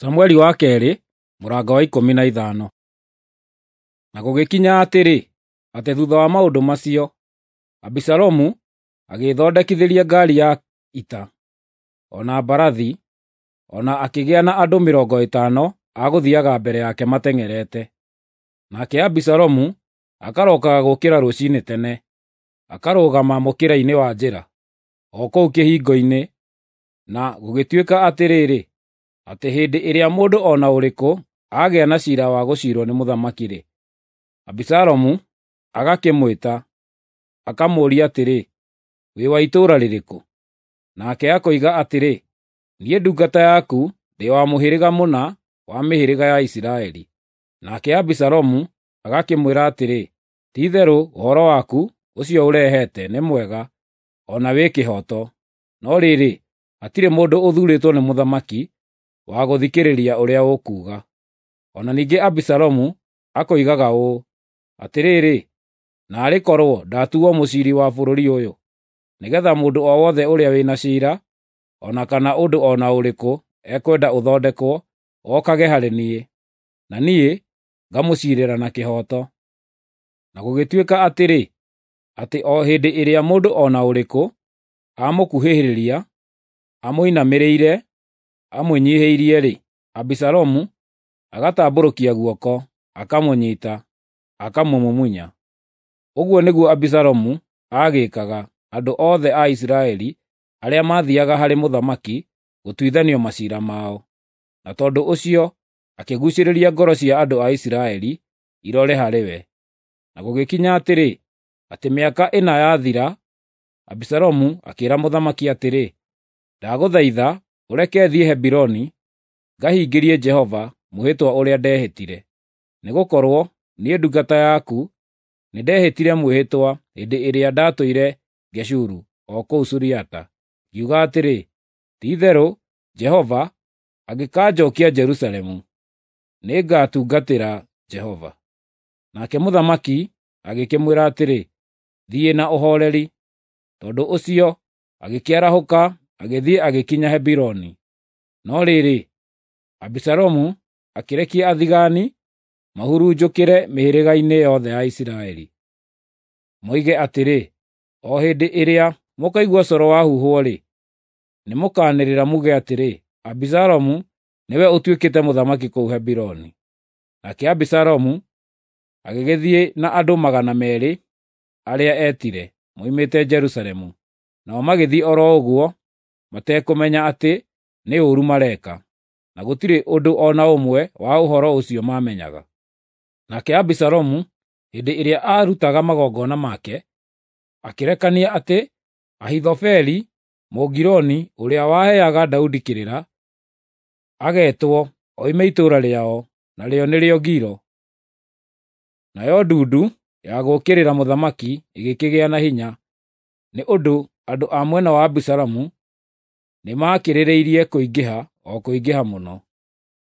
Samueli wa kerĩ mũrango wa 15. Na gũgĩkinya atĩrĩ, atĩ thutha wa maũndũ macio, Abisalomu agĩĩthondekithĩria ngari ya ita, o na mbarathi, o na akĩgĩa na andũ 50 a gũthiaga mbere yake mateng'erete. Nake Abisalomu akarokaga gũũkĩra rũcinĩ tene, akarũgama mũkĩra-inĩ wa njĩra, o kũu kĩhingo-inĩ, na gũgĩtuĩka atĩrĩrĩ, atĩ hĩndĩ ĩrĩa mũndũ o na ũrĩkũ aagĩa na ciira wa gũciirwo nĩ mũthamaki-rĩ, Abisalomu agakĩmwĩta, akamũũria atĩrĩ, “Wĩ wa itũũra rĩrĩkũ?” Nake akoiga atĩrĩ, “Niĩ ndungata yaku ndĩ wa mũhĩrĩga mũna wa mĩhĩrĩga ya Isiraeli.” Nake Abisalomu agakĩmwĩra atĩrĩ, “Ti-itherũ ũhoro waku ũcio ũrehete nĩ mwega o na wĩ kĩhooto, no rĩrĩ, hatirĩ mũndũ ũthuurĩtwo nĩ mũthamaki wa gũthikĩrĩria ũrĩa ũkuuga.” O na ningĩ Abisalomu akoigaga ũũ, “Atĩrĩrĩ, naarĩ korwo ndatuuo mũciiri wa bũrũri ũyũ, nĩgeetha mũndũ o wothe ũrĩa wĩ na ciira, o na kana ũndũ o na ũrĩkũ ekwenda ũthondekwo, okage harĩ niĩ, na niĩ ngamũciirĩra na kĩhooto.” Na gũgĩtuĩka atĩrĩ, atĩ o hĩndĩ ĩrĩa mũndũ o na ũrĩkũ amũkuhĩrĩria, amũinamĩrĩire, amwĩnyiihĩirie-rĩ, Abisalomu agatambũrũkia guoko, akamũnyiita, akamũmumunya. Ũguo nĩguo Abisalomu aagĩĩkaga andũ othe a Isiraeli arĩa maathiiaga harĩ mũthamaki gũtuithanio maciira mao. Na tondũ ũcio akĩguucĩrĩria ngoro cia andũ a Isiraeli irore harĩ we. Na gũgĩkinya atĩrĩ, atĩ mĩaka 4 yathira, Abisalomu akĩĩra mũthamaki atĩrĩ, “Ndagũthaitha ũreke thiĩ Hebironi ngahingĩrie Jehova mwĩhĩtwa ũrĩa ndehĩtire. Nĩgũkorwo niĩ ndungata yaku nĩndehĩtire mwĩhĩtwa hĩndĩ ĩrĩa ndatũire Geshuru o kũu Suriata, ngiuga atĩrĩ, ‘Ti-itherũ Jehova angĩkanjookia Jerusalemu, nĩngatungatĩra Jehova.’ ” Nake mũthamaki agĩkĩmwĩra atĩrĩ, “Thiĩ na ũhooreri.” Tondũ ũcio agĩkĩarahũka agĩthiĩ agĩkinya Hebironi. No rĩrĩ, Abisalomu akĩrekia athigaani mahurunjũkĩre mĩhĩrĩga-inĩ yothe ya Isiraeli, moige atĩrĩ, “O hĩndĩ ĩrĩa mũkaigua coro wahuhwo-rĩ, nĩmũkanĩrĩra muuge atĩrĩ, ‘Abisalomu nĩwe ũtuĩkĩte mũthamaki kũu Hebironi.’ ” Nake Abisalomu agĩgĩthiĩ na andũ 200 arĩa eetire moimĩte Jerusalemu, nao magĩthiĩ o ro ũguo matekũmenya atĩ nĩ ũũru mareka, na gũtirĩ ũndũ o na ũmwe wa ũhoro ũcio maamenyaga. Nake Abisalomu hĩndĩ ĩrĩa aarutaga magongona make, akĩrekania atĩ Ahithofeli Mũgiloni ũrĩa waheaga Daudi kĩrĩra, ageetwo oime itũũra rĩao, narĩo nĩrĩo Gilo. Nayo ndundu ya gũũkĩrĩra mũthamaki ĩgĩkĩgĩa na hinya, nĩ ũndũ andũ a mwena wa Abisalomu nĩmakĩrĩrĩirie kũingĩha o kũingĩha mũno.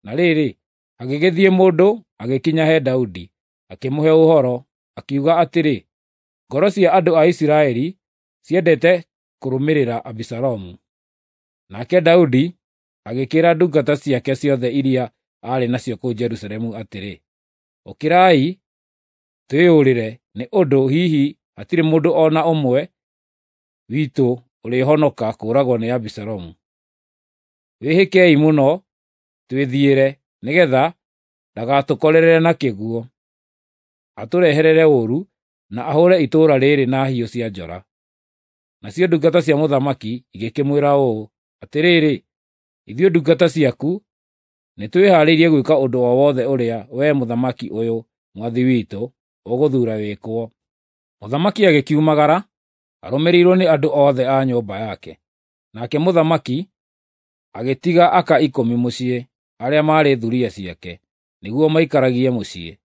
Na rĩrĩ, hagĩgĩthiĩ mũndũ agĩkinya he Daudi, akĩmũhe ũhoro, akiuga atĩrĩ, “Ngoro cia andũ a Isiraeli ciendete kũrũmĩrĩra Abisalomu.” Nake Daudi agĩkĩĩra ndungata ciake ciothe iria aarĩ nacio kũu Jerusalemu atĩrĩ, “Ũkĩrai, twĩyũrĩre, nĩ ũndũ hihi hatirĩ mũndũ o na ũmwe witũ ũrĩhonoka kũũragwo nĩ Abisalomu. Wĩhĩkei mũno twĩthiĩre, nĩgeetha ndagatũkorerere na kĩguũ, atũrehere ũũru na ahũũre itũũra rĩĩrĩ na hiũ cia njora.” Nacio ndungata cia mũthamaki igĩkĩmwĩra ũũ, “Atĩrĩrĩ, ithuĩ ndungata ciaku nĩtwĩhaarĩirie gwĩka ũndũ o wothe ũrĩa wee mũthamaki ũyũ mwathi witũ ũgũthuura wĩkwo.” Mũthamaki agĩkiumagara arũmĩrĩirwo nĩ andũ othe a nyũmba yake. Nake mũthamaki agĩtiga aka 10 mũciĩ, arĩa maarĩ thuriya ciake, nĩguo maikaragie mũciĩ.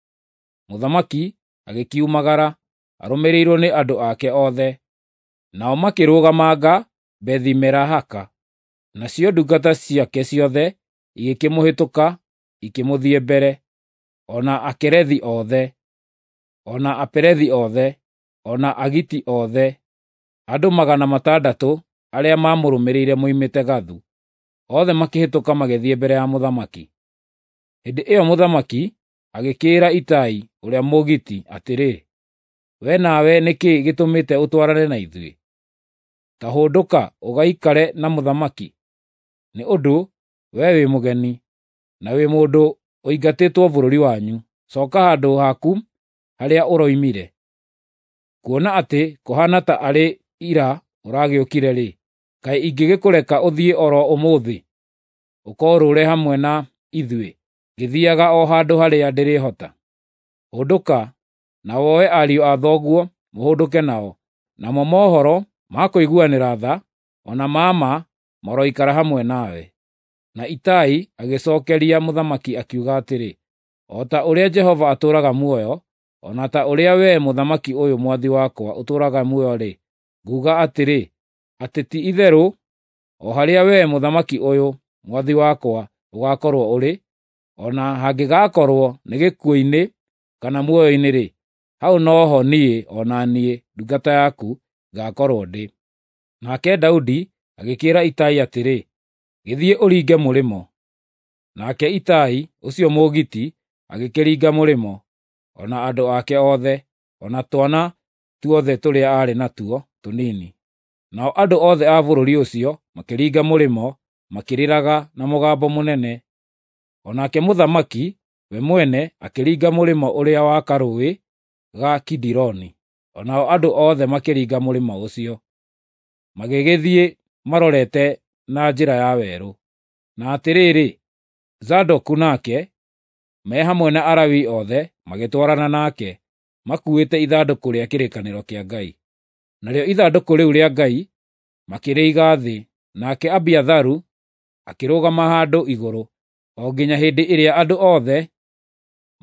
Mũthamaki agĩkiumagara arũmĩrĩirwo nĩ andũ ake othe, nao makĩrũgamanga Bethi-Merahaka. Nacio ndungata ciake ciothe igĩkĩmũhĩtũka ikĩmũthiĩ mbere, o na Akerethi othe, o na Apelethi othe, o na Agiti othe, andũ 600 arĩa maamũrũmĩrĩire moimĩte Gathu. Othe makĩhĩtũka magĩthiĩ mbere ya mũthamaki. Hĩndĩ ĩyo mũthamaki agĩkĩĩra Itai ũrĩa Mũgiti atĩrĩ, "We nawe nĩ kĩĩ gĩtũmĩte ũtwarane na ithuĩ? Ta hũndũka ũgaikare na mũthamaki, nĩ ũndũ wee wĩ mũgeni, na wĩ mũndũ ũingatĩtwo bũrũri wanyu. Coka handũ haku harĩa ũroimire. Kuona atĩ kũhaana ta arĩ ira ũragĩũkire-rĩ, kaĩ ingĩgĩkũreka ũthiĩ o ro ũmũthĩ, ũkoorũũre hamwe na ithuĩ, ngĩthiiaga o handũ harĩa ndĩrĩhota? Hũndũka, na woe ariũ a thoguo mũhũndũke nao, namo mohoro ma kũiguanĩra tha, o na ma ma maroikara hamwe nawe." Na Itai agĩcookeria mũthamaki akiuga atĩrĩ, "O ta ũrĩa Jehova atũũraga muoyo, o na ta ũrĩa wee mũthamaki ũyũ mwathi wakwa ũtũũraga muoyo-rĩ, nguuga atĩrĩ, atĩ ti-itherũ o harĩa wee mũthamaki ũyũ mwathi wakwa ũgaakorwo ũrĩ, o na hangĩgakorwo nĩ gĩkuũ-inĩ kana muoyo-inĩ-rĩ, hau no ho niĩ o na niĩ ndungata yaku ngaakorwo ndĩ." Nake Daudi agĩkĩĩra Itai atĩrĩ, "Gĩthiĩ ũringe mũrĩmo." Nake Itai ũcio Mũgiti agĩkĩringa mũrĩmo, o na andũ ake othe, o na twana tuothe tũrĩa aarĩ natuo tũnini. Nao andũ othe a bũrũri ũcio makĩringa mũrĩmo makĩrĩraga na mũgambo mũnene. O nake mũthamaki we mwene akĩringa mũrĩmo ũrĩa wa karũũĩ ga Kidironi, o nao andũ othe makĩringa mũrĩmo ũcio, magĩgĩthiĩ marorete na njĩra ya werũ. Na atĩrĩrĩ, Zadoku nake, me hamwe na Alawii othe magĩtwarana nake, makuuĩte ithandũkũ rĩa kĩrĩkanĩro kĩa Ngai. Narĩo ithandũkũ rĩu rĩa Ngai makĩrĩiga thĩ, nake Abiatharu akĩrũgama handũ igũrũ, o nginya hĩndĩ ĩrĩa andũ othe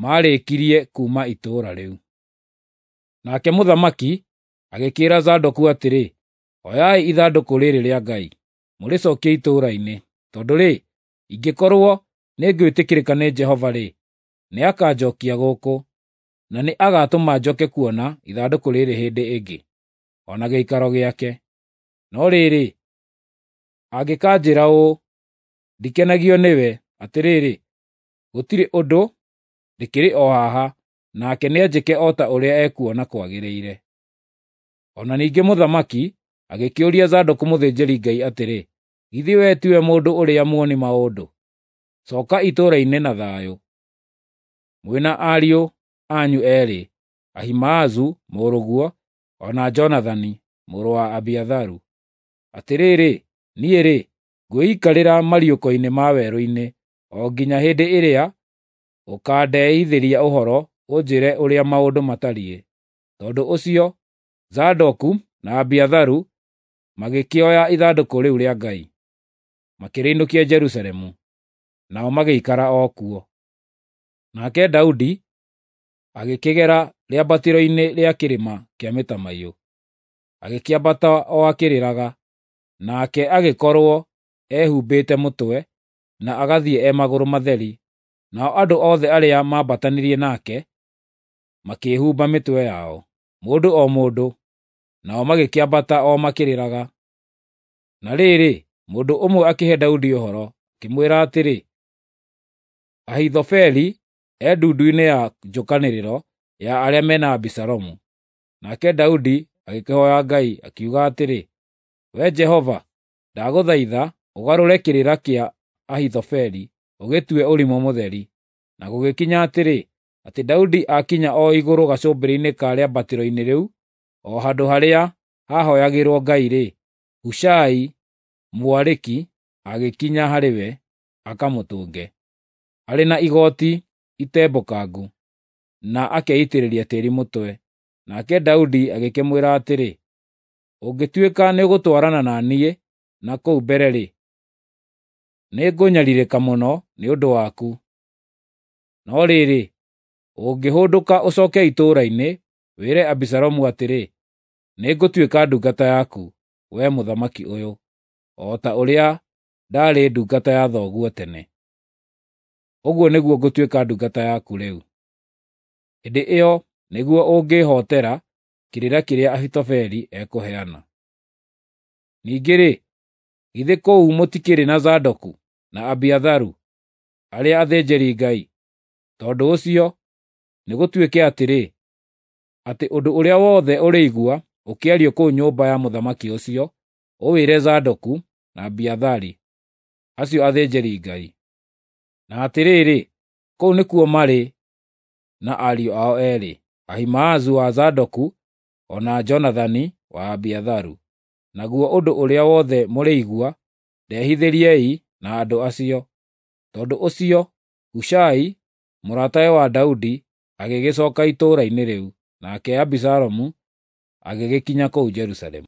maarĩkirie kuuma itũũra rĩu. Nake mũthamaki agĩkĩĩra Zadoku atĩrĩ, "Oyai ithandũkũ rĩrĩ rĩa Ngai, mũrĩcookie itũũra-inĩ, tondũ-rĩ, ingĩkorwo nĩngwĩtĩkĩrĩka nĩ Jehova-rĩ, nĩakanjookia gũkũ, na nĩ agaatũma njoke kuona ithandũkũ rĩrĩ hĩndĩ ĩngĩ, o na gĩikaro gĩake. No rĩrĩ, angĩkanjĩĩra ũũ, 'Ndikenagio nĩwe,' atĩrĩrĩ, gũtirĩ ũndũ, ndĩkĩrĩ o haha, nake nĩanjĩke o ta ũrĩa ekuona kwagĩrĩire." O na ningĩ mũthamaki agĩkĩũria Zadoku mũthĩnjĩri-Ngai atĩrĩ, "Githĩ wee tiwe mũndũ ũrĩa muoni maũndũ? Cooka itũũra-inĩ na thayũ, mwĩ na ariũ anyu eerĩ, Ahimaazu mũrũguo, o na Jonathani mũrũ wa Abiatharu. Atĩrĩrĩ, niĩ-rĩ, ngwĩikarĩra mariũko-inĩ ma werũ-inĩ o nginya hĩndĩ ĩrĩa ũkandeithĩria ũhoro ũnjĩĩre ũrĩa maũndũ matariĩ." Tondũ ũcio Zadoku na Abiatharu magĩkĩoya ithandũkũ rĩu rĩa Ngai, makĩrĩinũkia Jerusalemu, nao magĩikara o kuo. Nake Daudi agĩkĩgera rĩambatĩro-inĩ rĩa kĩrĩma kĩa mĩtamaiyũ, agĩkĩambata o akĩrĩraga, nake agĩkorwo ehumbĩte mũtwe, na agathiĩ e magũrũ matheri. Nao andũ othe arĩa maambatanirie nake makĩĩhumba mĩtwe yao, mũndũ o mũndũ, nao magĩkĩambata o makĩrĩraga. Na rĩrĩ, mũndũ ũmwe akĩhe Daudi ũhoro, akĩmwĩra atĩrĩ, "Ahithofeli e ndundu-inĩ ya njũkanĩrĩro ya arĩa mena Abisalomu." Nake Daudi agĩkĩhooya Ngai, akiuga atĩrĩ, "Wee Jehova, ndagũthaitha ũgarũre kĩrĩra kĩa Ahithofeli ũgĩtue ũrimũ mũtheri." Na gũgĩkinya atĩrĩ, atĩ Daudi aakinya o igũrũ gacũmbĩrĩ-inĩ ka rĩambatĩro-inĩ rĩu, o handũ harĩa haahooyagĩrwo Ngai-rĩ, Hushai Mũariki agĩkinya harĩ we akamũtũnge, arĩ na igooti itembũkangu, na akeitĩrĩria tĩĩri mũtwe. Nake Daudi agĩkĩmwĩra atĩrĩ, "Ũngĩtuĩka nĩũgũtwarana na niĩ na kũu mbere-rĩ, nĩngũnyariirĩka mũno nĩ ũndũ waku. No rĩrĩ, ũngĩhũndũka ũcooke itũũra-inĩ, wĩre Abisalomu atĩrĩ, 'Nĩngũtuĩka ndungata yaku, wee mũthamaki ũyũ, o ta ũrĩa ndaarĩ ndungata ya thoguo tene. Ũguo nĩguo ngũtuĩka ndungata yaku rĩu.' Hĩndĩ ĩyo nĩguo ũngĩĩhootera kĩrĩra kĩrĩa Ahithofeli ekũheana." Ningĩ-rĩ, Githĩ kũu mũtikĩrĩ na Zadoku na Abiatharu, arĩa athĩnjĩri-Ngai? Tondũ ũcio, nĩgũtuĩke atĩrĩ, atĩ ũndũ ũrĩa wothe ũrĩigua ũkĩario kũu nyũmba ya mũthamaki ũcio, ũwĩre Zadoku na Abiathari, acio athĩnjĩri-Ngai. Na atĩrĩrĩ, kũu nĩkuo marĩ na ariũ ao eerĩ, Ahimaazu wa Zadoku o na Jonathani wa Abiatharu. Naguo ũndũ ũrĩa wothe mũrĩigua, ndehithĩriei na andũ acio. Tondũ ũcio Hushai, mũratawe wa Daudi, agĩgĩcoka itũũra-inĩ rĩu, nake Abisalomu agĩgĩkinya kũu Jerusalemu.